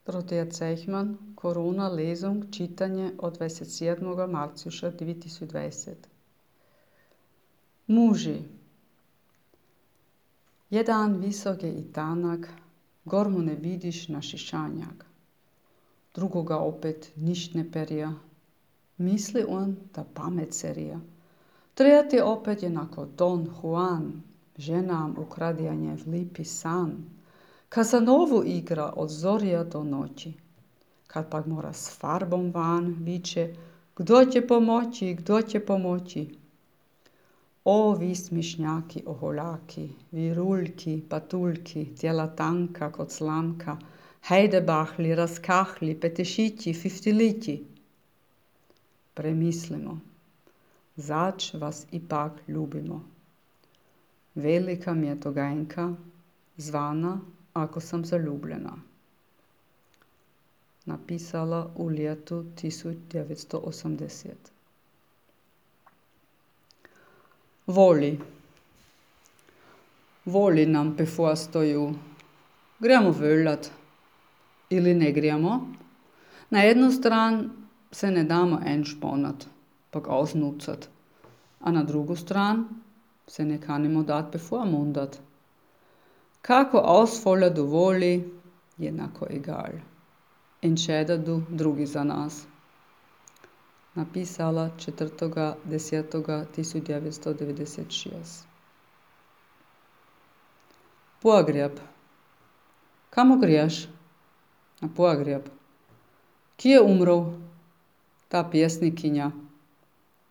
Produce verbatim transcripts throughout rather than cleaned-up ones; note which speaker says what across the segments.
Speaker 1: Dorothea Zeichmann, Corona Lesung, čitanje od dvadeset sedmega marca dve tisoč dvajset. Muži. Jedan visok je i tanak, gor mu ne vidiš na šišanjak. Drugoga opet ništ ne perija. Misli on da pamet serija. Trijati opet je nako Don Juan, ženam ukradijanje lipi san. Kazanovu igra od zorija do noći. Kad pak mora s farbom van, viče, kdo će pomoći, kdo će pomoći. O vi smišnjaki oholaki, viruljki, patuljki, tijela tanka kod slamka, hajdebahli, raskahli, petešići, fiftilići. Premislimo, zač vas ipak ljubimo. Velika mi je to gajnka, zvana Ako sam zaljubljena. Napisala u ljetu tisoč devetsto osemdeset. Voli. Voli nam bevorstoju. Gremo völat. Ili ne gremo. Na jednu stran se ne damo enšponat, pak ausnucat. A na drugu stran se ne kanimo dat bevormundat. Kako ausfolla du voli, jednako egal. Entscheda du drugi za nas. Napisala četrtega desetega tisoč devetsto devedeset šest. Pogreb. Kamo greš? Na pogreb. Ki je umrl? Ta pjesnikinja.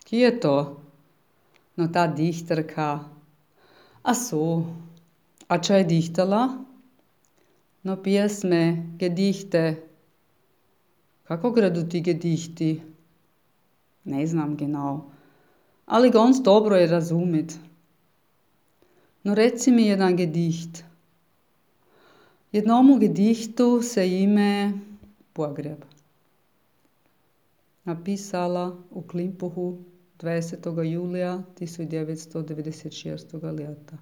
Speaker 1: Ki je to? No ta dihterka. A so. A čo je dihtala? No pjesme, gedichte. Kako gredu ti gedichti? Ne znam genau. Ali ganz dobro je razumit. No reci mi jedan gedicht. Jednomu gedichtu se ime Pogreb. Napisala u Klimpuhu dvadesetega julija tisoč devetsto devedeset šestega leta.